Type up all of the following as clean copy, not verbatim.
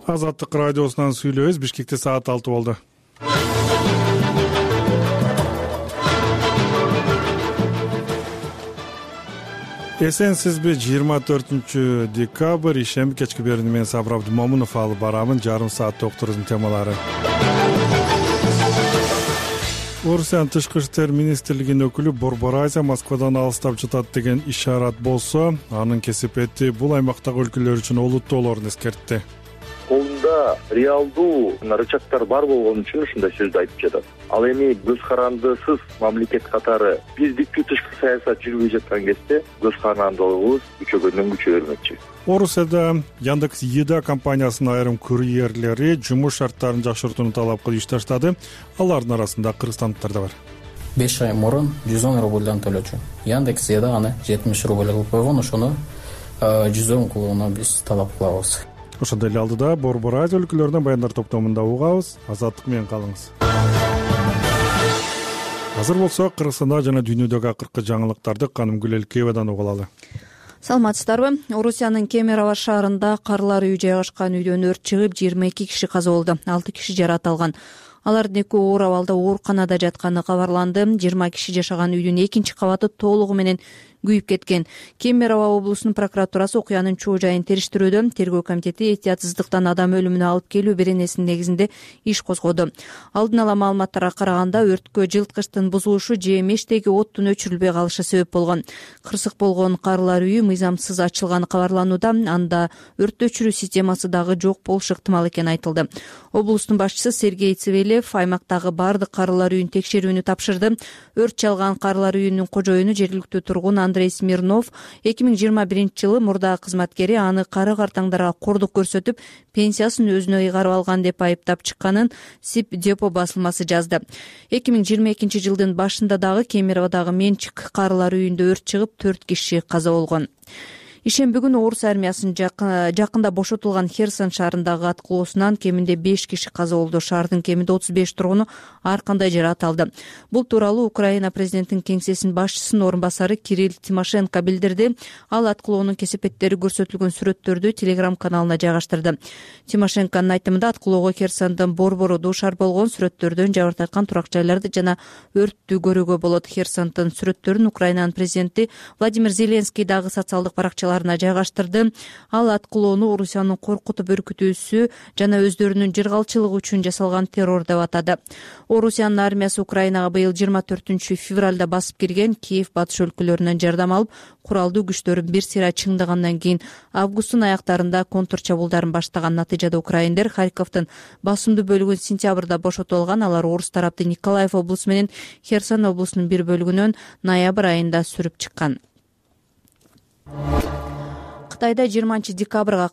Азаттык радиосунан сүйлөбүз. Бишкекте саат 6 болду. Эсенсизби? 24 декабрь ишемби кечки берүүнү мен Сабыр Абдымомунов алып барамын. Жарым саат докторубуздун темалары. Орусиянын тышкы иштер министрлигинин өкүлү Борбор Азия Москвадан алыстап жатат деген ишарат болсо, анын кесипети бул аймактагы өлкөлөр үчүн олуттуулорун эскертти. Колунда реалдуу рычагдар бар болгон үчүн ушундай сөздү айтып жатат. Ал эми көз карандысыз мамлекет катары биздикки тышкы саясат жүрбөй жаткан кезде көз карандылыгыбыз күчөгөндөн күчө бермекчи. Орусияда Яндекс.Еда компаниясынын айрым курьерлери жумуш шарттарын жакшыртууну талап кылып иш таштады. Алардын арасында кыргызстандыктар да бар. 5 ай мурун 110 рубльдан төлөчү. Яндекс.Еда аны 70 рубль кылып койгон, ошону 110 кылууну биз талап кылабыз. Ошондой эле алдыда Борбор Азия өлкөлөрүнөн баяндар топтомунда угабыз. Азаттык менен калыңыз. Азыр болсо Кыргызстанда жана дүйнөдөгү акыркы жаңылыктарды Канымгүл Элкеевадан угуп алалы. Саламатсыздарбы? Орусиянын Кемерово шаарында карлар үй жайгашкан үйдөн өрт чыгып 22 киши каза болду. 6 киши жаракат алган. Алардын экөө оор абалда ооруканада жатканы кабарланды. 20 киши жашаган үйдүн экинчи кабаты толугу менен күйүп кеткен. Кемерово облусунун прокуратурасы окуянын чоо жайын териштирүүдө. Тергөө комитети этиятсыздыктан адам өлүмүнө алып келүү беренесинин негизинде иш козгоду. Алдын ала маалыматтарга караганда өрткө жылыткычтын бузулушу же мештеги оттун өчүрүлбөй калышы себеп болгон. Кырсык болгон карлар үйү мыйзамсыз ачылганы кабарланууда. Анда өрт өчүрүү системасы дагы жок болушу ыктымал экени айтылды. Облустун башчысы Сергей Цивилев аймактагы бардык карлар үйүн текшерүүнү тапшырды. Өрт чалган карлар үйүнүн кожоюну жергиликтүү тургун Андрей Смирнов 2021-жылы мурдагы кызматкери аны кары картаңдарга кордук көрсөтүп, пенсиясын өзүнө ыйгарып алган деп айыптап чыкканын СИП депо басылмасы жазды. 2022-жылдын башында дагы Кемероводагы Менчик карлар үйүндө өрт чыгып 4 киши каза болгон. Ишемби күнү орус армиясынын жакында бошотулган Херсон шаарындагы аткылоосунан кеминде 5 киши каза болду. Шаардын кеминде 35 тургуну ар кандай жаракат алды. Бул тууралуу Украина президентинин кеңсесинин башчысынын орун басары Кирилл Тимошенко билдирди. Ал аткылоонун кесепеттери көрсөтүлгөн сүрөттөрдү Telegram каналына жайгаштырды. Тимошенконун айтымында аткылоого Херсондун борбору дуушар болгон. Сүрөттөрдөн жабыркаткан турак жайларды жана өрттү көрүүгө болот. Херсондун сүрөттөрүн Украинанын президенти Владимир Зеленский дагы социалдык баракчаларына жайгаштырды. Ал аткылоону Орусиянын коркутуп өркүтүүсү жана өздөрүнүн жыргалчылыгы үчүн жасалган террор деп атады. Орусиянын армиясы Украинага быйыл 24-февралда басып кирген. Киев батыш өлкөлөрүнөн жардам алып, куралдуу күчтөрүн бир сыйра чыңдагандан кийин августтун аяктарында контр чабуулдарын баштаган. Натыйжада украиндер Харьковдун басымдуу бөлүгүн сентябрда бошотуп алган. Алар орус тарапты Николаев облусу менен Херсон облусунун бир бөлүгүнөн ноябрь айында сүрүп чыккан. Кытайда 20-декабрга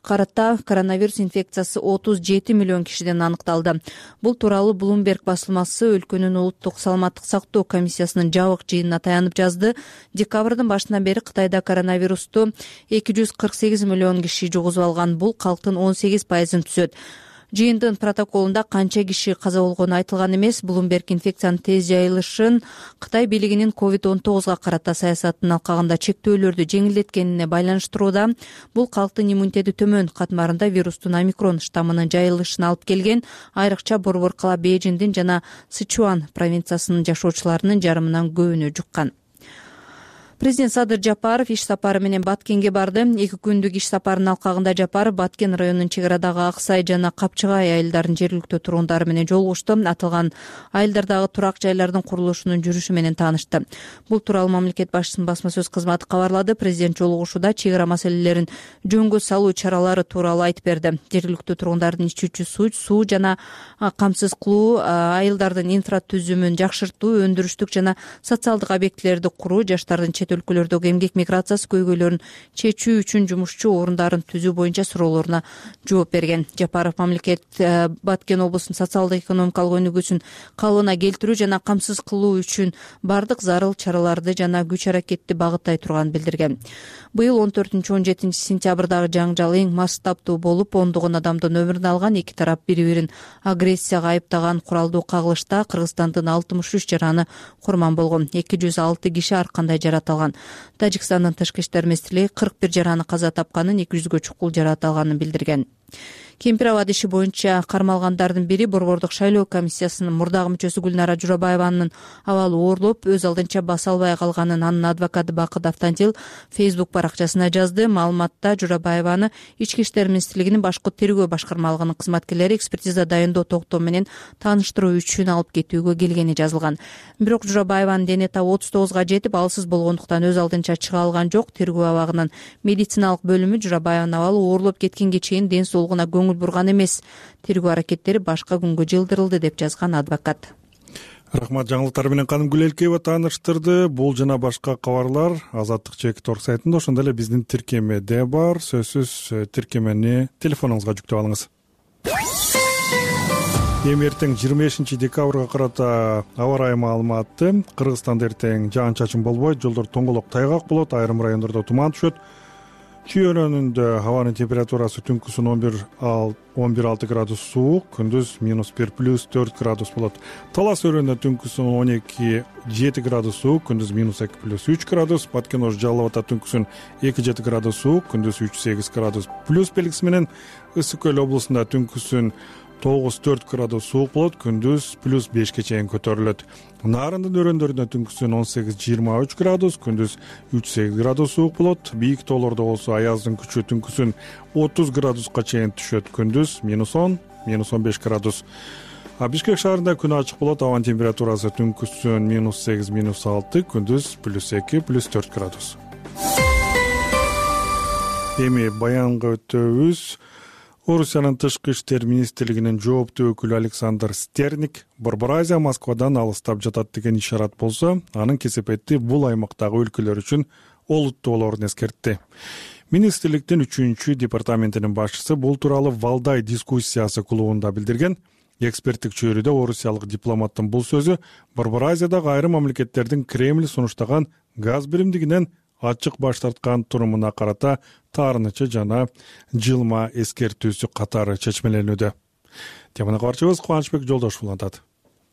карата коронавирус инфекциясы 37 миллион кишиден аныкталды. Бул тууралуу Bloomberg басылмасы өлкөнүн улуттук саламаттык сактоо комиссиясынын жабык жыйынына таянып жазды. Декабрдын башынан бери Кытайда коронавирусту 248 миллион киши жугузуп алган. Бул калктын 18%-ын түзөт. Жыйындын протоколунда канча киши каза болгону айтылган эмес. Bloomberg инфекциянын тез жайылышын Кытай бийлигинин COVID-19га карата саясатын алкагында чектөөлөрдү жеңилдеткенине байланыштырууда. Бул калктын иммунитети төмөн катмарында вирустун омикрон штаммынын жайылышына алып келген. Айрыкча борбор кала Бейжиңдин жана Сычуан провинциясынын жашоочуларынын жарымынан көбүнө жуккан. Президент Садыр Жапаров иш сапары менен Баткенге барды. 2 күндүк иш сапарынын алкагында Жапаров Баткен районунун чек арадагы Аксай жана Капчыгай айылдарынын жергиликтүү тургундары менен жолугушту. Аталган айылдардагы турак жайлардын курулушунун жүрүшү менен таанышты. Бул тууралуу мамлекет башчысынын басма сөз кызматы кабарлады. Президент жолугушууда чек ара маселелерин жөнгө салуу чаралары тууралуу айтып берди. Жергиликтүү тургундардын ичүүчү суу жана камсыз кылуу, айылдардын инфратүзүмүн жакшыртуу, өндүрүштүк жана социалдык объектилерди куруу, жаштардын өлкөлөрдөгү эмгек миграциясы көйгөйлөрүн чечүү үчүн жумушчу орундарын түзүү боюнча суроолоруна жооп берген. Жапаров мамлекет Баткен облусунун социалдык экономикалык өнүгүүсүн калыбына келтирүү жана камсыз кылуу үчүн бардык зарыл чараларды жана күч аракетти багыттай турганын билдирген. Быйыл 14-17 сентябрдагы жаңжал эң масштабтуу болуп, ондогон адамдын өмүрүн алган. Эки тарап бири-бирин агрессияга айыптаган куралдуу кагылышта Кыргызстандын 63 жараны курман болгон. 206 киши ар кандай жаракат алган. Тажикстандын тышкы иштер министрлиги 41 жараны каза тапканын, 200гө чукул жаракат алганын билдирген. Кемпир абад иши боюнча кармалгандардын бири Борбордук шайлоо комиссиясынын мурдагы мүчөсү Гүлнара Журабаеванын абалы оорлоп, өз алдынча баса албай калганын анын адвокаты Бакыт Автандил Facebook баракчасына жазды. Маалыматта Журабаеваны Ички иштер министрлигинин башкы тергөө башкармалыгынын кызматкерлери экспертиза дайындоо токтому менен тааныштыруу үчүн алып кетүүгө келгени жазылган. Бирок Журабаеванын дене табы 39га жетип, алсыз болгондуктан өз алдынча чыга алган жок. Тергөө абагынын медициналык бөлүмү Журабаеванын абалы оорлоп кеткенге чейин ден соолугуна көңүл бурган эмес. Тергөө аракеттери башка күнгө жылдырылды деп жазган адвокат. Рахмат, жаңылыктар менен Каным Гүлелкеева тааныштырды. Бул жана башка кабарлар Азаттык /Торг сайтында, ошондой эле биздин тиркемеде бар. Сөзсүз тиркемени телефонуңузга жүктөп алыңыз. Эми эртең 25 декабрга карата аба ырайы маалыматы. Кыргызстанда эртең жаан-чачын болбойт, жолдор тоңголок тайгак болот, айрым райондордо туман түшөт. Чүй-өлөнүндө абанын температурасы түнкүсүн 11-6 градус суук, күндүз -1 +4 градус болот. Талас өрөөнүндө түнкүсүн 12-7 градус суук, күндүз -2 +3 градус. Баткен Ош Жалал Абадда түнкүсүн 2-7 градус суук, күндүз 3-8 градус плюс белгиси менен. Ысык Көл облусунда түнкүсүн 9-4 градус суук болот, күндүз +5 чейин көтөрүлөт. Нарындын өрөөндөрүндө түнкүсүн 18-23 градус, күндүз 3-8 градус суук болот. Бийик тоолордо болсо аяздын күчү түнкүсүн 30 градуска чейин түшөт, күндүз -10, -15 градус. Бишкек шаарында күн ачык болот, абанын температурасы түнкүсүн -8, -6, күндүз +2, +4 градус. Эми баянга өтөбүз. Орусиянын тышкы иштер министрлигинин жооптуу өкүлү Александр Стерник Борбор Азия Москвадан алыстап жатат деген ишарат болсо, анын кесепети бул аймактагы өлкөлөр үчүн олуттуу болорун эскертти. Министрликтин 3-чү департаментинин башчысы бул тууралуу Валдай дискуссиясы клубунда билдирген. Эксперттик чөйрөдө орусиялык дипломаттын бул сөзү Борбор Азиядагы айрым мамлекеттердин Кремль сунуштаган газ биримдигинен ачык баш тарткан турумуна карата таарынычы жана жылма эскертүүсү катары чечмеленүүдө. Теманы кабарчыбыз Кубанычбек Жолдошов улантат.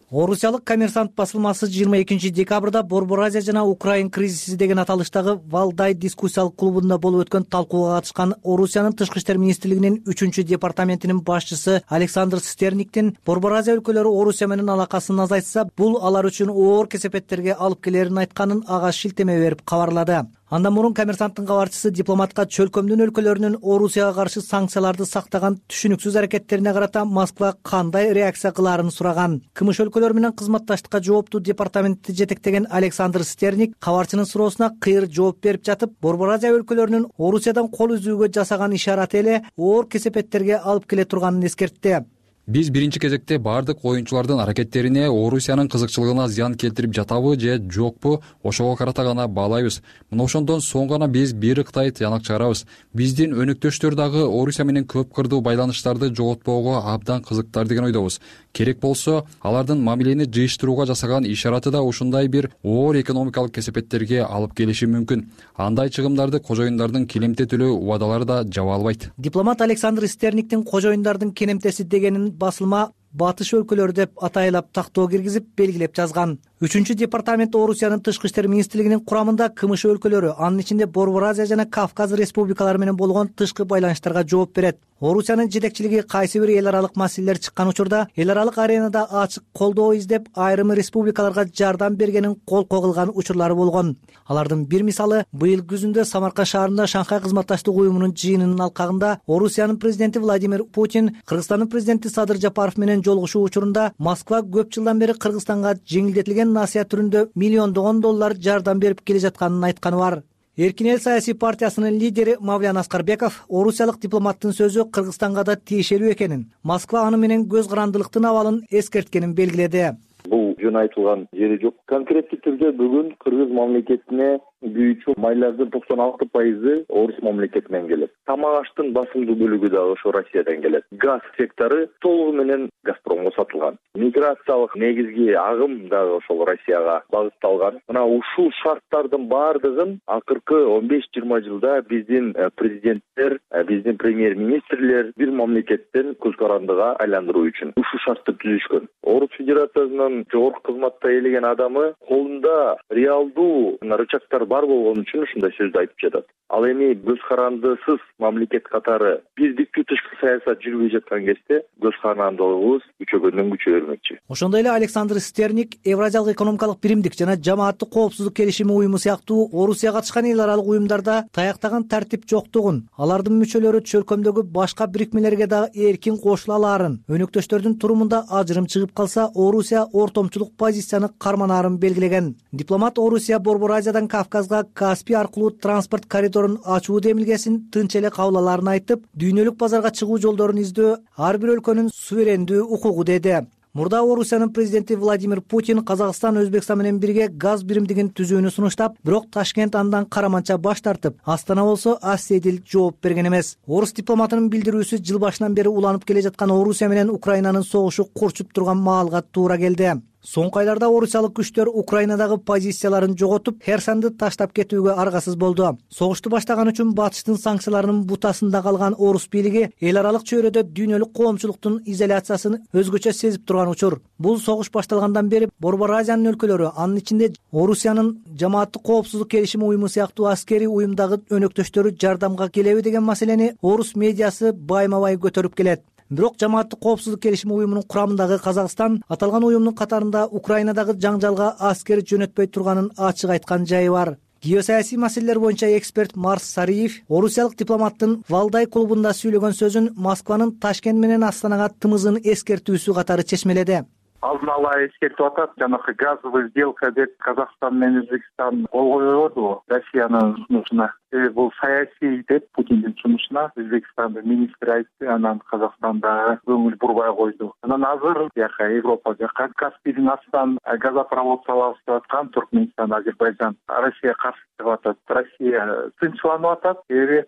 Орусиялык Коммерсант басылмасы 22 декабрда Борбор Азия жана Украин кризиси деген аталыштагы Валдай дискуссиялык клубунда болуп өткөн талкууга катышкан Орусиянын тышкы иштер министрлигинин 3-чү департаментинин башчысы Александр Стерниктин Борбор Азия өлкөлөрү Орусия менен алакасын азайтса, бул алар үчүн оор кесепеттерге алып келерин айтканын ага шилтеме берип кабарлады. Андан мурун Коммерсанттын кабарчысы дипломатка чөлкөмдүн өлкөлөрүнүн Орусияга каршы санкцияларды сактаган түшүнүксүз аракеттерине карата Москва кандай реакция кылаарын сураган. КМШ өлкөлөр менен кызматташтыкка жооптуу департаментти жетектеген Александр Стерник кабарчынын суроосуна кыйыр жооп берип жатып, Борбор Азия өлкөлөрүнүн Орусиядан кол үзүүгө жасаган ишараты эле оор кесепеттерге алып келе турганын эскертти. Биз биринчи кезекте бардык оюнчулардын аракеттерине Орусиянын кызыкчылыгына зыян келтирип жатабы же жокпу, ошого карата гана баалайбыз. Мына ошондон соң гана биз бир ыктай тыянак чыгарабыз. Биздин өнөктөштөр дагы Орусия менен көп кырдуу байланыштарды жоготпоого абдан кызыктар деген ойдобуз. Керек болсо, алардын мамилени жыйыштырууга жасаган ишараты да ушундай бир оор экономикалык кесепеттерге алып келиши мүмкүн. Андай чыгымдарды кожоюндардын келемте төлөө убадалары да жаба албайт. Дипломат Александр Стерниктин кожоюндардын келемтеси дегенин басылма батыш өлкөлөр деп атайлап тактоо киргизип белгилеп жазган. 3-чү департамент Орусиянын тышкы иштер министрлигинин курамында КМШ өлкөлөрү, анын ичинде Борбор Азия жана Кавказ республикалары менен болгон тышкы байланыштарга жооп берет. Орусиянын жетекчилиги кайсы бир эл аралык маселелер чыккан учурда эл аралык аренада ачык колдоо издеп, айрым республикаларга жардам бергенин колко кылган учурлары болгон. Алардын бир мисалы, быйыл күзүндө Самарканд шаарында Шанхай кызматташтык уюмунун жыйынынын алкагында Орусиянын президенти Владимир Путин Кыргызстандын президенти Садыр Жапаров менен жолугушуу учурунда Москва көп жылдан бери Кыргызстанга жеңилдетилген насыя түрүндө миллиондогон доллар жардам берип келе жатканын айтканы бар. Эркин эл саясий партиясынын лидери Мавлян Аскарбеков орусиялык дипломаттын сөзү Кыргызстанга да тиешелүү экенин, Москва аны менен көз карандылыктын абалын эскерткенин белгиледи. Бул жөн айтылган жери жок. Конкреттик түрдө бүгүн Кыргыз мамлекетине күйүүчү майлардын 96% Орус мамлекетинен келет. Тамак аштын басымдуу бөлүгү дагы ошо Россиядан келет. Газ сектору толугу менен Газпромго сатылган. Миграциялык негизги агым дагы ошол Россияга багытталган. Мына ушул шарттардын баардыгын акыркы 15-20 жылда биздин президенттер, биздин премьер-министрлер бир мамлекеттен көз карандыга айландыруу үчүн ушул шартты түзүшкөн. Орус Федерациясынын жогорку кызматта элеген адамы колунда реалдуу рычагдар бар болгон үчүн ушундай сөздү айтып жатат. Ал эми көз карандысыз мамлекет катары биздикти тышкы саясат жүрбөй жаткан кезде көз карандылыгыбыз күчөгөндөн күчөй бермекчи. Ошондой эле Александр Стерник Евразиялык экономикалык биримдик жана жамааттык коопсуздук келишими уюму сыяктуу Орусия катышкан эл аралык уюмдарда таяктаган тартип жоктугун, алардын мүчөлөрү чөлкөмдөгү башка бирикмелерге дагы эркин кошула алаарын, өнөктөштөрдүн турумунда ажырым чыгып калса, Орусия ортомчулук позицияны карманаарын белгилеген. Дипломат Орусия Борбор Азиядан Кавказга Каспий аркылуу транспорт коридорун ачуу демилгесин тынч эле кабыл алаарын айтып, дүйнөлүк базарга чыгуу жолдорун издөө ар бир өлкөнүн суверендүү укугу деди. Мурда Орусиянын президенти Владимир Путин Казакстан Өзбекстан менен бирге газ биримдигин түзүүнү сунуштап, бирок Ташкент андан караманча баш тартып, Астана болсо аседил жооп берген эмес. Орус дипломатынын билдирүүсү жыл башынан бери уланып келе жаткан Орусия менен Украинанын согушу курчуп турган маалга туура келди. Соңку айларда орусиялык күчтөр Украинадагы позицияларын жоготуп, Херсонду таштап кетүүгө аргасыз болду. Согушту баштаган үчүн батыштын санкцияларынын бутасында калган орус бийлиги эл аралык чөйрөдө дүйнөлүк коомчулуктун изоляциясын өзгөчө сезип турган учур. Бул согуш башталгандан бери Борбор Азиянын өлкөлөрү, анын ичинде Орусиянын жамааттык коопсуздук келишими уюму сыяктуу аскерий уюмдагы өнөктөштөрү жардамга келеби деген маселени орус медиасы байма-бай көтөрүп келет. Бирок жамааттык коопсуздук келишими уюмунун курамындагы Казакстан аталган уюмдун катарында Украинадагы жаңжалга аскер жөнөтпөй турганын ачык айткан жайы бар. Геосаясий маселелер боюнча эксперт Марс Сариев орусиялык дипломаттын Валдай клубунда сүйлөгөн сөзүн Москванын Ташкент менен Астанага тымызын эскертүүсү катары чечмеледи. Алдын ала эскертип атат, жанагы газовый сделка деп Казакстан менен Өзбекстан кол койбоду Россиянын сунушуна. Бул саясий деп Путиндин сунушуна Өзбекстандын министри айтты, анан Казакстанда көңүл бурбай койду. Анан азыр жака Европа жака Каспийдин астынан газопровод салабыз деп аткан Туркменистан, Азербайжан Россия каршы чыгып атат. Россия тынчсызланып атат.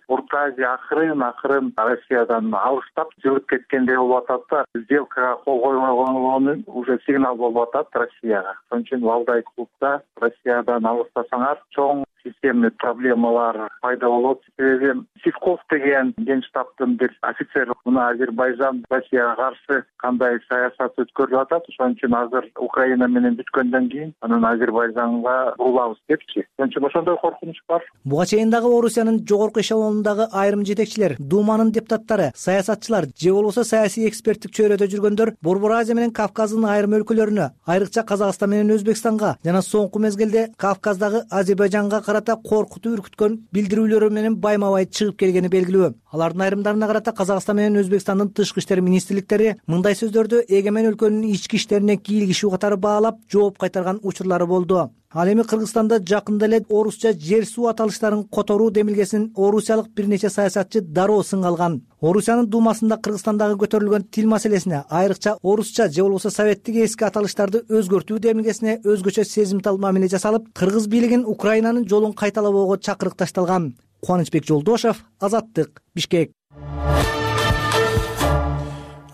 Орто Азия акырын Россиядан алыстап жылып кеткендей болуп атат да, сделкага кол койбой койгонун уже сигнал болуп атат Россияга. Ошон үчүн Валдай клубда Россиядан алыстасаңар чоң системный проблемалар пайда болот. Себеби Сивков деген генштабтын бир офицер мына Азербайжан Россияга каршы кандай саясат өткөрүп атат. Ошон үчүн азыр Украина менен бүткөндөн кийин анан Азербайжанга бурулабыз депчи. Ошон үчүн ошондой коркунуч бар. Буга чейин дагы Орусиянын жогорку эшелонундагы айрым жетекчилер, Думанын депутаттары, саясатчылар же болбосо саясий эксперттик чөйрөдө жүргөндөр Борбор Азия менен Кавказдын айрым өлкөлөрүнө, айрыкча Казакстан менен Өзбекстанга жана соңку мезгилде Кавказдагы Азербайжанга карата коркутуп үркүткөн билдирүүлөрү менен байма-бай чыгып келгени белгилүү. Алардын айрымдарына карата Казакстан менен Өзбекстандын тышкы иштер министрликтери мындай сөздөрдү эгемен өлкөнүн ички иштерине кийлигишүү катары баалап жооп кайтарган учурлары болду. Ал эми Кыргызстанда жакында эле орусча жер суу аталыштарын которуу демилгесин орусиялык бир нече саясатчы дароо сынга алган. Орусиянын Думасында Кыргызстандагы көтөрүлгөн тил маселесине, айрыкча орусча же болбосо советтик эски аталыштарды өзгөртүү демилгесине өзгөчө сезимтал мамиле жасалып, кыргыз бийлигин Украинанын жолун кайталабоого чакырык ташталган. Кубанычбек Жолдошев, Азаттык, Бишкек.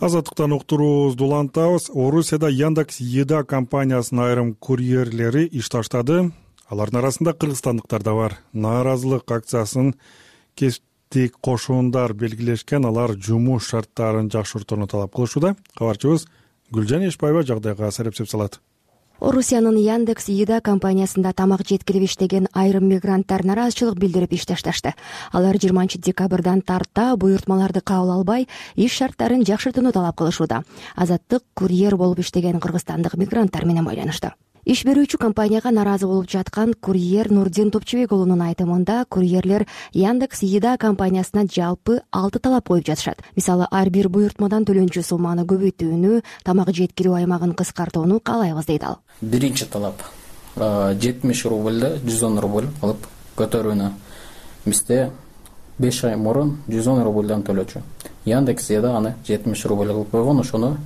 Азаттыктан уктуруубузду улантабыз. Орусияда Яндекс Еда компаниясынын айрым курьерлери иш таштады. Алардын арасында кыргызстандыктар да бар. Нааразылык акциясын кесиптик кошундар белгилешкен, алар жумуш шарттарын жакшыртууну талап кылышууда. Кабарчыбыз Гүлжан Эшбаева жагдайга серепсеп салат. Орусиянын Яндекс Еда компаниясында тамак жеткирип иштеген айрым мигранттар нааразычылык билдирип иш ташташты. Алар 20 декабрдан тарта буйртмаларды кабыл албай, иш шарттарын жакшыртууну талап кылышууда. Азаттык курьер болуп иштеген кыргызстандык мигранттар менен байланышты. Иш берүүчү компанияга нааразы болуп жаткан курьер Нурдин Топчубек уулунун айтымында, курьерлер Яндекс Еда компаниясына жалпы 6 талап коюп жатышат. Мисалы, ар бир буйртмадан төлөнчү сумманы көбөйтүүнү, тамак жеткирүү аймагын кыскартууну каалайбыз дейт ал. Биринчи талап 70 рубльды 110 рубль кылып көтөрүүнү. Бизде 5 ай мурун 110 рубльдан төлөчү. Яндекс Еда аны 70 рубль кылып койгон, ошону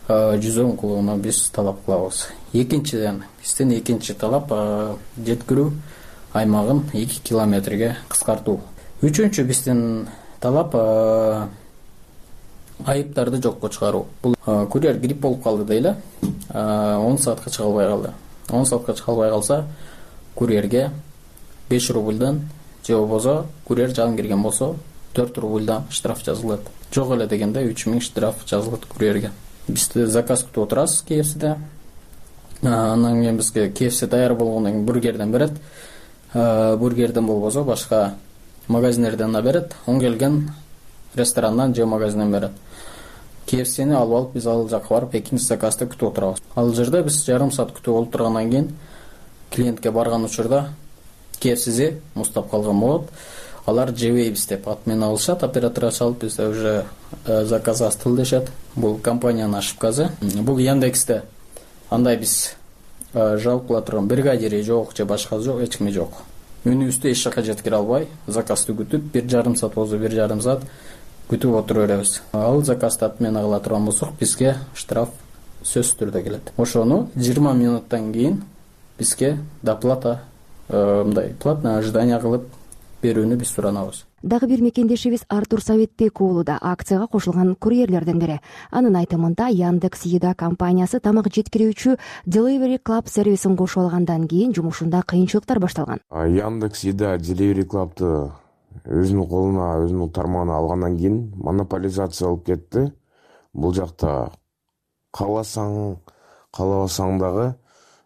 110 кылууну биз талап кылабыз. Экинчиден, биздин экинчи талап жеткирүү аймагын 2 километрге кыскартуу. Үчүнчү биздин талап айыптарды жокко чыгаруу. Бул курьер грипп болуп калды дейли, 10 саатка чыга албай калды. 10 саатка чыга албай калса, курьерге 5 рубльдан же болбосо курьер жалын кирген болсо 4 рубльдан штраф жазылат. Жок эле дегенде 3000 штраф жазылат курьерге. Биз заказ күтүп отурабыз KFC'де. Анан кийин бизге KFC даяр болгондон кийин бургерден берет. бургерден болбосо башка магазиндерден да берет, оң келген ресторандан же магазинден берет. KFC'ни алып алып биз ал жака барып экинчи заказды күтүп отурабыз. Ал жерде биз жарым саат күтүп олтургандан кийин клиентке барган учурда KFC'ди муздап калган болот. Алар жебейбиз деп ат менен алышат, оператор чалып бизде уже заказ астыл дешет. Бул компаниянын ошибкасы. Бул Яндексте андай биз жалп кыла турган бригадири жок же башкасы жок, эч кими жок. Үнүбүздү эч жака жеткире албай, заказды күтүп 1,5 саат болсо 1,5 саат күтүп отура беребиз. Ал заказды ат менен кыла турган болсок, бизге штраф сөзсүз түрдө келет. Ошону 20 минуттан кийин бизге доплата, мындай платное ожидание кылып берүүнү биз суранабыз. Дагы бир мекендешибиз Артур Советбек уулу да акцияга кошулган курьерлерден бири. Анын айтымында Яндекс Еда компаниясы тамак жеткирүүчү Delivery Club сервисин кошуп алгандан кийин жумушунда кыйынчылыктар башталган. Яндекс Еда Delivery Club'ты өзүнүн колуна, өзүнүн тармагына алгандан кийин монополизация болуп кетти. Бул жакта кааласаң, каалабасаң дагы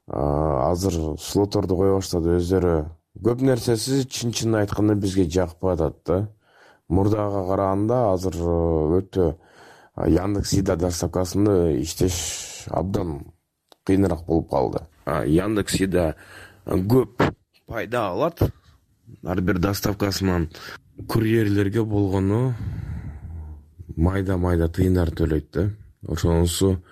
азыр слотторду кое баштады өздөрү. Көп нерсеси чын айтканда бизге жакпай атат да. Мурдага караганда азыр өтө Яндекс Еда доставкасында иштеш абдан кыйыныраак болуп калды. Яндекс Еда көп пайда алат ар бир доставкасынан. Курьерлерге болгону майда тыйындар төлөйт да. Ошонусу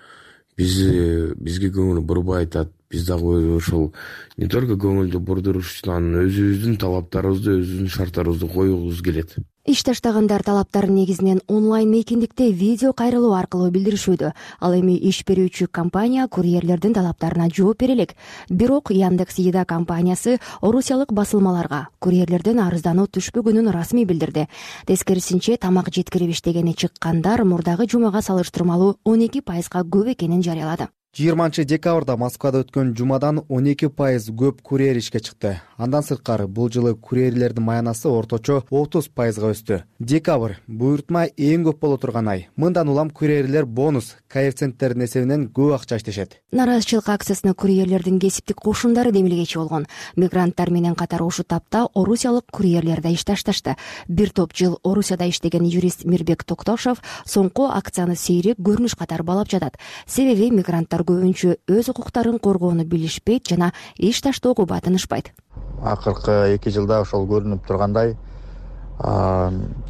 бизге көңүл бурбай атат. Биз дагы ошол не только көңүлдү бурдурушунан өзүбүздүн талаптарыбызды, өзүбүздүн шарттарыбызды коюубуз келет. Иш таштагандар талаптарын негизинен онлайн мейкиндикте видео кайрылуу аркылуу билдиришүүдө. Ал эми иш берүүчү компания курьерлердин талаптарына жооп бере элек. Бирок Яндекс Еда компаниясы орусиялык басылмаларга курьерлерден арыздануу түшпөгөнүн расмий билдирди. Тескерисинче, тамак жеткирип иштегени чыккандар мурдагы жумага салыштырмалуу 12% көп экенин жарыялады. 20-декабрда Москвада өткөн жумадан 12% көп курьер ишке чыкты. Андан сырткары бул жылы курьерлердин маянасы орточо 30% өстү. Декабрь буйртма эң көп боло турган ай. Мындан улам курьерлер бонус, коэффициенттердин эсебинен көп акча иштешет. Наразычылык акциясына курьерлердин кесиптик кошундары демилгечи болгон. Мигранттар менен катар ушул тапта орусиялык курьерлер да иш ташташты. Бир топ жыл Орусияда иштеген юрист Мирбек Токтошов соңку акцияны сейрек көрүнүш катары баалап жатат. Себеби мигранттар көбүнчө өз укуктарын коргоону билишпейт жана иш таштоого батынышпайт. Акыркы 2 жылда ошол көрүнүп тургандай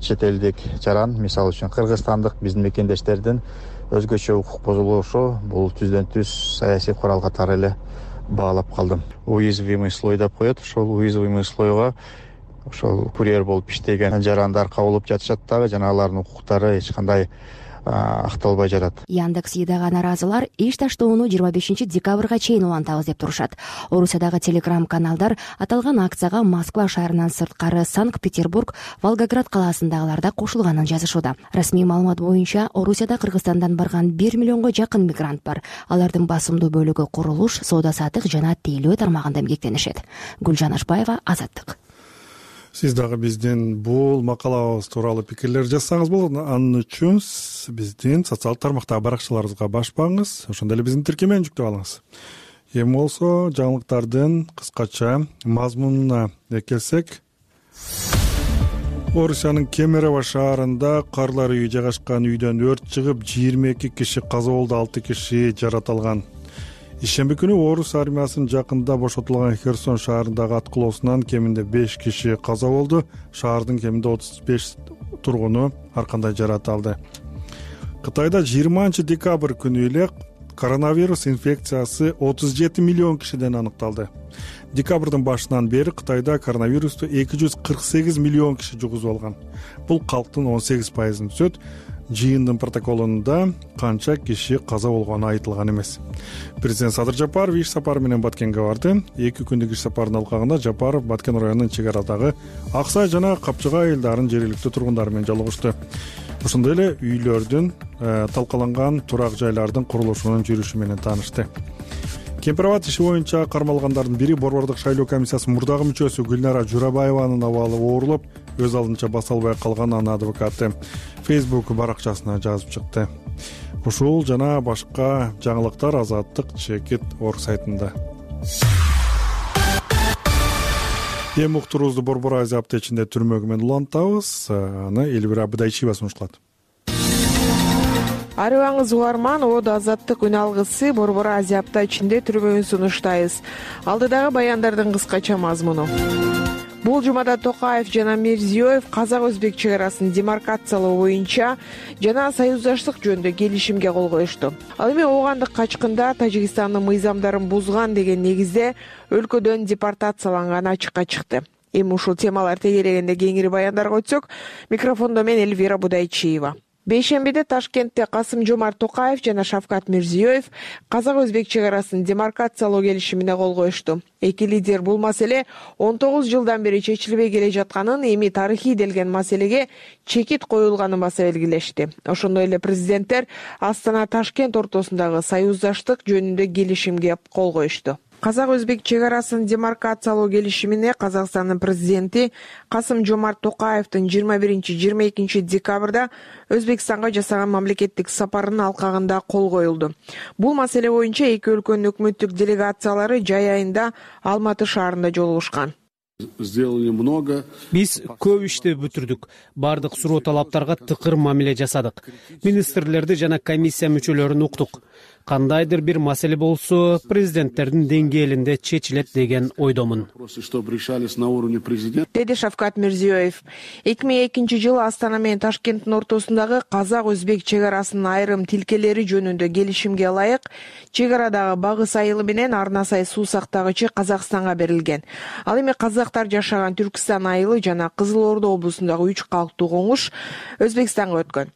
чет элдик жаран, мисалы үчүн кыргызстандык биздин мекендештердин өзгөчө укук бузулушу бул түздөн түз саясий курал катары эле баалап калдым. Уязвимый слой деп коет. Ошол уязвимый слойго ошол курьер болуп иштеген жарандар кабылып жатышат дагы, жана алардын укуктары эч кандай акталбай жатат. Яндекс Едага наразылар иш таштоону 25 декабрга чейин улантабыз деп турушат. Орусиядагы телеграм-каналдар аталган акцияга Москва шаарынан сырткары Санкт-Петербург, Волгоград калаасындагылар да кошулганын жазышууда. Расмий маалымат боюнча Орусияда Кыргызстандан барган 1 миллионго жакын мигрант бар. Алардын басымдуу бөлүгү курулуш, соода-саттык жана тейлөө тармагында эмгектенишет. Гүлжан Ашбаева, Азаттык. Сиз дагы биздин бул макалабыз тууралуу пикирлер жазсаңыз болот. Анын үчүн биздин социалдык тармактагы баракчаларыбызга башпаңыз, ошондой эле биздин тиркемени жүктөп алыңыз. Эми болсо жаңылыктардын кыскача мазмунуна келсек, Орусиянын Кемерово шаарында карлар үйү жайгашкан үйдөн өрт чыгып 22 киши каза болду, 6 киши жаратылган. Ишемби күнү орус армиясынын жакында бошотулган Херсон шаарындагы аткылоосунан кеминде 5 киши каза болду. Шаардын кеминде 35 тургуну ар кандай жаракат алды. Кытайда 20 декабрь күнү эле коронавирус инфекциясы 37 миллион кишиден аныкталды. Декабрдын башынан бери Кытайда коронавирусту 248 миллион киши жугузуп алган. Бул калктын 18%-ын түзөт. Жыйындын протоколунда канча киши каза болгону айтылган эмес. Президент Садыр Жапаров иш сапары менен Баткенге барды. 2 күндүк иш сапарынын алкагында Жапаров Баткен районунун чек арадагы Аксай жана Капчыга айылдарынын жергиликтүү тургундары менен жолугушту. Ошондой эле үйлөрдүн талкаланган турак жайлардын курулушунун жүрүшү менен таанышты. Кемпирабад иши боюнча кармалгандардын бири Борбордук шайлоо комиссиясынын мурдагы мүчөсү Гүлнара Журабаеванын абалы оорулуп, өз алдынча баса албай калган анын адвокаты Facebook баракчасына жазып чыкты. Ушул жана башка жаңылыктар Азаттык чекит орг сайтында. Эми уктуруубузду Борбор Азия аптечинде түрмөгү менен улантабыз. Аны Элвира Абдайчиева сунушталат. Арыбаңыз угарман, Оодо Азаттык үн алгысы Борбор Азия аптечинде түрмөгүн сунуштайбыз. Алдыдагы баяндардын кыскача мазмуну. Бул жумада Токаев жана Мирзиёев казак-өзбек чек арасын демаркациялоо боюнча жана союздаштык жөнүндө келишимге кол коюшту. Ал эми оогандык качкында Тажикстандын мыйзамдарын бузган деген негизде өлкөдөн депортацияланганы ачыкка чыкты. Эми ушул темалар тегерегинде кеңири баяндарга өтсөк, микрофондо мен Элвира Будайчиева. Бейшембиде Ташкентте Касым-Жомарт Токаев жана Шавкат Мирзиёев казак-өзбек чек арасын демаркациялоо келишимине кол коюшту. Эки лидер бул маселе 19 жылдан бери чечилбей келе жатканын, эми тарыхый делген маселеге чекит коюлганын баса белгилешти. Ошондой эле президенттер Астана-Ташкент ортосундагы союздаштык жөнүндө келишимге кол коюшту. Казак-өзбек чек арасын демаркациялоо келишимине Казакстандын президенти Касым-Жомарт Токаевдин 21-22 декабрда Өзбекстанга жасаган мамлекеттик сапарынын алкагында кол коюлду. Бул маселе боюнча эки өлкөнүн өкмөттүк делегациялары жай айында Алматы шаарында жолугушкан. Биз көп ишти бүтүрдүк. Бардык суроо талаптарга тыкыр мамиле жасадык. Министрлерди жана комиссия мүчөлөрүн уктук. Кандайдыр бир маселе болсо, президенттердин деңгээлинде чечилет деген ойдомун. Деди Шавкат Мирзиёев. 2002 жылы Астана менен Ташкенттин ортосундагы казак-өзбек чек арасынын айрым тилкелери жөнүндө келишимге ылайык чек арадагы багыс айылы менен Арнасай суу сактагычы Казакстанга берилген. Ал эми казактар жашаган Түркстан айылы жана Кызыл Ордо облусундагы 3 калктуу коңуш Өзбекстанга өткөн.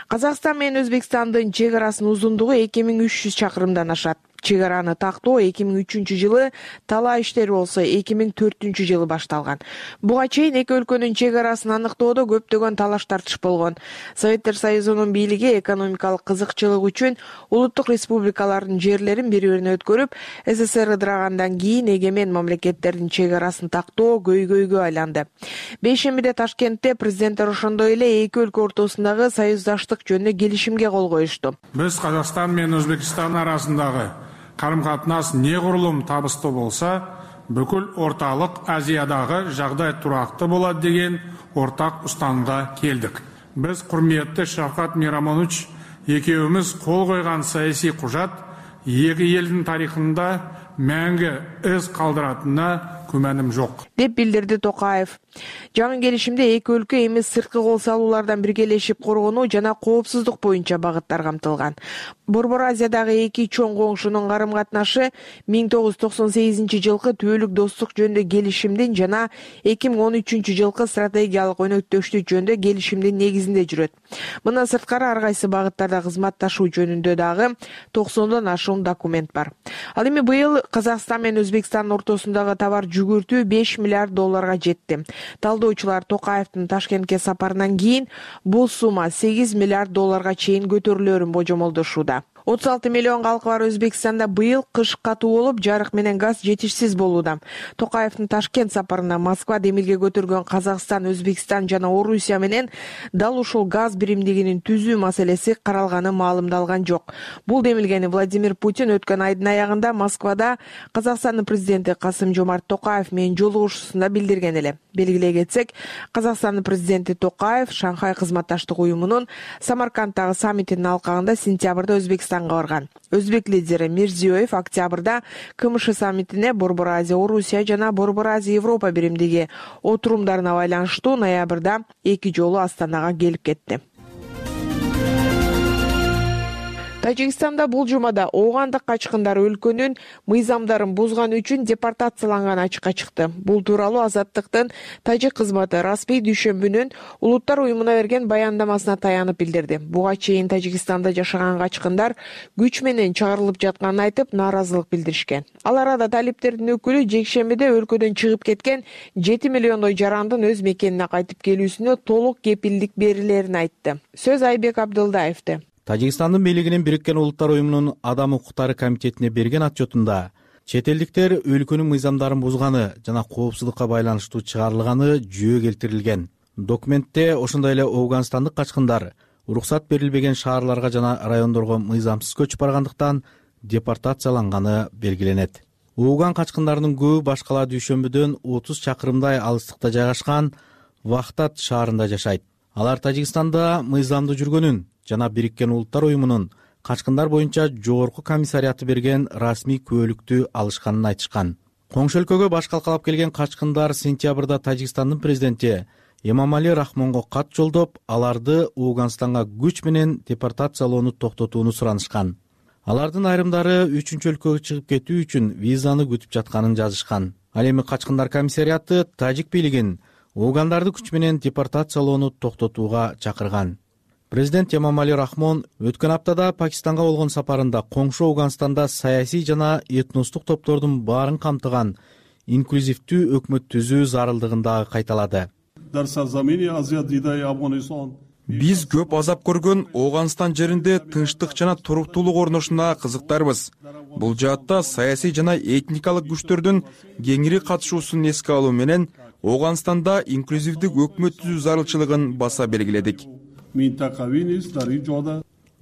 Казакстан менен Өзбекстандын чек арасынын узундугу 2300 чакырымдан ашат. Чек араны тактоо 2003 жылы, талаа иштери болсо 2004 жылы башталган. Буга чейин эки өлкөнүн чек арасын аныктоодо көптөгөн талаш тартыш болгон. Советтер Союзунун бийлиги экономикалык кызыкчылык үчүн улуттук республикалардын жерлерин бири-бирине өткөрүп, СССР ыдырагандан кийин эгемен мамлекеттердин чек арасын тактоо көйгөйгө айланды. Бейшембиде Ташкентте президенттер ошондой эле эки өлкө ортосундагы союздаштык жөнүндө келишимге кол коюшту. Биз Казакстан менен Өзбекстан арасындагы карым-катнаш негурулум табыстуу болса, бүкүл орталык Азиядагы жагдай турактуу болот деген ортак устанымга келдик. Биз курметти Шавкат Мирамонович экөөбүз кол койгон саясий кужат эки элдин тарыхында мәңгі із калдыратына күмәним жок, деп билдирди Токаев. Жаңы келишимде эки өлкө эми сырткы кол салуулардан биргелешип коргонуу жана коопсуздук боюнча багыттар камтылган. Борбор Азиядагы эки чоң коңшунун карым-катнашы 1998 жылкы түбөлүк достук жөнүндө келишимдин жана 2013 жылкы стратегиялык өнөктөштүк жөнүндө келишимдин негизинде жүрөт. Мындан сырткары ар кайсы багыттарда кызматташуу жөнүндө дагы 90дон ашуун документ бар. Ал эми быйыл Казакстан менен Өзбекстандын ортосундагы товар жүгүртүү $5 миллиард жетти. Талдоочулар Токаевдин Ташкентке сапарынан кийин бул сумма $8 миллиард чейин көтөрүлөрүн божомолдошууда. 36 миллион калкы бар Өзбекстанда быйыл кыш катуу болуп, жарык менен газ жетишсиз болууда. Токаевдин Ташкент сапарына Москва демилге көтөргөн Казакстан, Өзбекстан жана Орусия менен дал ушул газ биримдигинин түзүү маселеси каралганы маалымдалган жок. Бул демилгени Владимир Путин өткөн айдын аягында Москвада Казакстандын президенти Касым-Жомарт Токаев менен жолугушуусунда билдирген эле. Белгилей кетсек, Казакстандын президенти Токаев Шанхай кызматташтык уюмунун Самаркандтагы саммитинин алкагында сентябрда Өзбекстанга барган. Өзбек лидери Мирзиёев октябрда КМШ саммитине Борбор Азия Орусия жана Борбор Азия Европа биримдиги отурумдарына байланыштуу ноябрда 2 жолу Астанага келип кетти. Тажикстанда бул жумада оогандык качкындар өлкөнүн мыйзамдарын бузган үчүн депортацияланганы ачыкка чыкты. Бул тууралуу Азаттыктын тажик кызматы Распей дүйшөмбүнүн Улуттар уюмуна берген баяндамасына таянып билдирди. Буга чейин Тажикстанда жашаган качкындар күч менен чыгарылып жатканын айтып, нааразылык билдиришкен. Ал арада талиптердин өкүлү жекшембиде өлкөдөн чыгып кеткен 7 миллиондой жарандын өз мекенине кайтып келүүсүнө толук кепилдик берилерин айтты. Сөз Айбек Абдылдаевди. Тажикстандын бийлигинин Бириккен Улуттар уюмунун Адам укуктары комитетине берген отчетунда чет элдиктер өлкөнүн мыйзамдарын бузганы жана коопсуздукка байланыштуу чыгарылганы жүйө келтирилген. Документте ошондой эле Афганстандык качкындар уруксат берилбеген шаарларга жана райондорго мыйзамсыз көчүп баргандыктан депортацияланганы белгиленет. ууган качкындарынын көбү башкала дүйшөмбүдөн 30 чакырымдай алыстыкта жайгашкан Вахтат шаарында жашайт. Алар Тажикстанда мыйзамдуу жүргөнүн жана Бириккен Улуттар уюмунун качкындар боюнча жогорку комиссариаты берген расмий күбөлүктү алышканын айтышкан. Коңшу өлкөгө баш калкалап келген качкындар сентябрда Тажикстандын президенти Эмомали Рахмонго кат жолдоп, аларды Ооганстанга күч менен депортациялоону токтотууну суранышкан. Алардын айрымдары 3-чү өлкөгө чыгып кетүү үчүн визаны күтүп жатканын жазышкан. Ал эми качкындар комиссариаты тажик бийлигин оогандарды күч менен депортациялоону токтотууга чакырган. Президент Эмомали Рахмон өткөн аптада Пакистанга болгон сапарында коңшу Ооганстанда саясий жана этностук топтордун баарын камтыган инклюзивдүү өкмөт түзүү зарылдыгын дагы кайталады. Биз көп азап көргөн Ооганстан жеринде тынчтык жана туруктуулук орношуна кызыктарбыз. Бул жаатта саясий жана этникалык күчтөрдүн кеңири катышуусун эске алуу менен Ооганстанда инклюзивдик өкмөт түзүү зарылчылыгын баса белгиледик,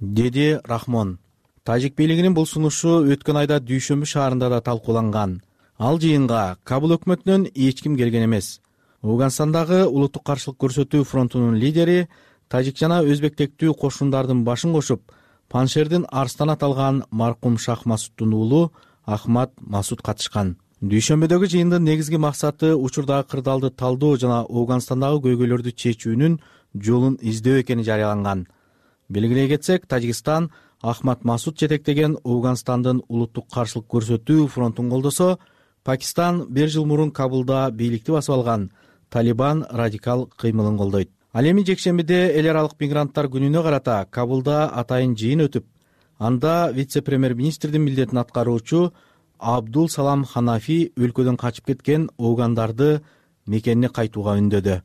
деди Рахмон. Тажик бийлигинин бул сунушу өткөн айда Дүйшөмбү шаарында да талкууланган. Ал жыйынга Кабул өкмөтүнөн эч ким келген эмес. Ооганстандагы улуттук каршылык көрсөтүү фронтунун лидери тажик жана өзбектектүү кошундардын башын кошуп, Паншердин Арстан аталган маркум Шах Масуддун уулу Ахмад Масуд катышкан. Дүйшөмбүдөгү жыйындын негизги максаты учурдагы кырдаалды талдоо жана Ооганстандагы көйгөйлөрдү чечүүнүн жолун издөө экени жарыяланган. Белгилей кетсек, Тажикстан Ахмад Масуд жетектеген Ооганстандын улуттук каршылык көрсөтүү фронтун колдосо, Пакистан 1 жыл мурун Кабулда бийликти басып алган Талибан радикал кыймылын колдойт. Ал эми жекшембиде эл аралык мигранттар күнүнө карата Кабулда атайын жыйын өтүп, анда вице-премьер-министрдин милдетин аткаруучу Абдул Салам Ханафи өлкөдөн качып кеткен оогандарды мекенине кайтууга үндөдү.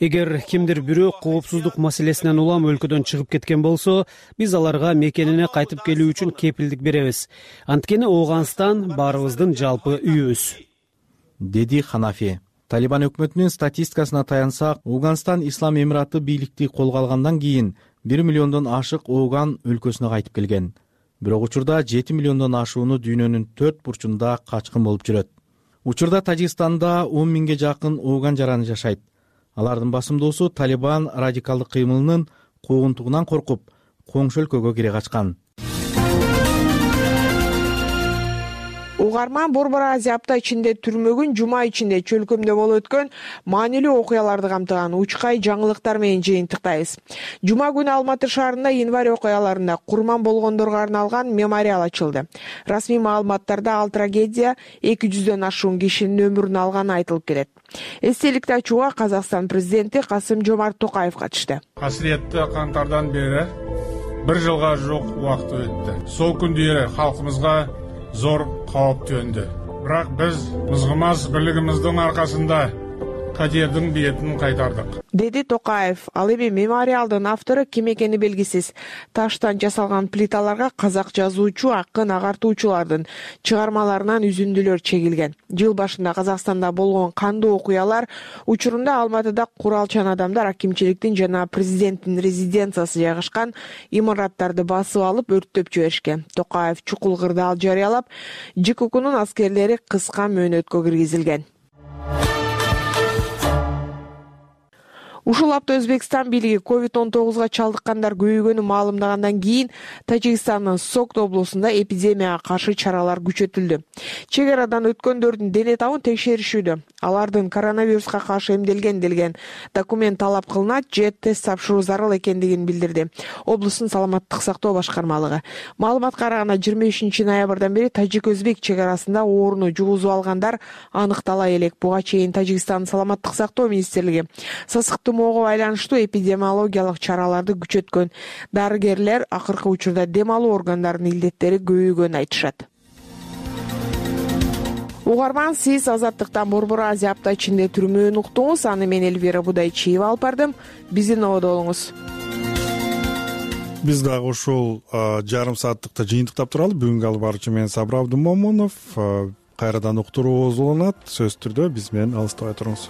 Эгер кимдир бирөө коопсуздук маселесинен улам өлкөдөн чыгып кеткен болсо, биз аларга мекенине кайтып келүү үчүн кепилдик беребиз. Анткени Ооганстан баарыбыздын жалпы үйүбүз, деди Ханафи. Талибан өкмөтүнүн статистикасына таянсак, Ооганстан Ислам Эмираты бийликти колго алгандан кийин 1 миллиондон ашык ооган өлкөсүнө кайтып келген. Бирок учурда 7 миллиондон ашууну дүйнөнүн 4 бурчунда качкын болуп жүрөт. Учурда Тажикстанда 10 миңге жакын ооган жараны жашайт. Алардын басымдуусу Талибан радикалдык кыймылынын куугунтугунан коркуп, коңшу өлкөгө кире качкан. Угарман Борбор Азия апта ичинде түрмөгүн жума ичинде чөлкөмдө болуп өткөн маанилүү окуяларды камтыган учкай жаңылыктар менен жыйынтыктайбыз. Жума күнү Алматы шаарында январь окуяларында курман болгондорго арналган мемориал ачылды. Расмий маалыматтарда ал трагедия 200дөн ашуун кишинин өмүрүн алганы айтылып келет. Эстеликти ачууга Казакстан президенти Касым-Жомарт Токаев катышты. Касиеттүү кантардан бери 1 жылга жук убакыт өттү. Сол күндөрү халкыбызга зор кооп төндү. Бирок биз мызгымас бирлигибиздин аркасында катердин бетин кайтардык, деди Токаев. Ал эми мемориалдын автору ким экени белгисиз таштан жасалган плиталарга казак жазуучу, акын, агартуучулардын чыгармаларынан үзүндүлөр чегилген. Жыл башында Казакстанда болгон кандуу окуялар учурунда Алматыда куралчан адамдар акимчиликтин жана президенттин резиденциясы жайгашкан имараттарды басып алып өрттөп жиберишкен. Токаев чукул кырдаал жарыялап, ЖККнун аскерлери кыска мөөнөткө киргизилген. Ушул апта Өзбекстан бийлиги COVID-19 чалдыккандар көбөйгөнүн маалымдагандан кийин Тажикстандын Согд облусунда эпидемияга каршы чаралар күчөтүлдү. Чек арадан өткөндөрдүн дене табын текшеришүүдө. Алардын коронавируска каршы эмделген делген документ талап кылынат же тест тапшыруу зарыл экендигин билдирди облустун саламаттык сактоо башкармалыгы. Маалыматка караганда 25 ноябрдан бери тажик-өзбек чек арасында ооруну жугузуп алгандар аныктала элек. Буга чейин Тажикстандын саламаттык сактоо министрлиги сасыктуу тумоого байланыштуу эпидемиологиялык чараларды күчөткөн. Дарыгерлер акыркы учурда дем алуу органдарынын илдеттери көбөйгөнүн айтышат. Угарман, сиз Азаттыктан Борбор Азия апта ичинде түрмөөнү уктуңуз. Аны мен Эльвира Будайчиева алып бардым. Биздин ободо болуңуз. Биз дагы ушул жарым сааттыкта жыйынтыктап туралы. Бүгүнкү алып баруучу мен Сабыр Абдымомунов. Кайрадан уктуруубуз уланат. Сөзсүз түрдө биз менен алыстабай туруңуз.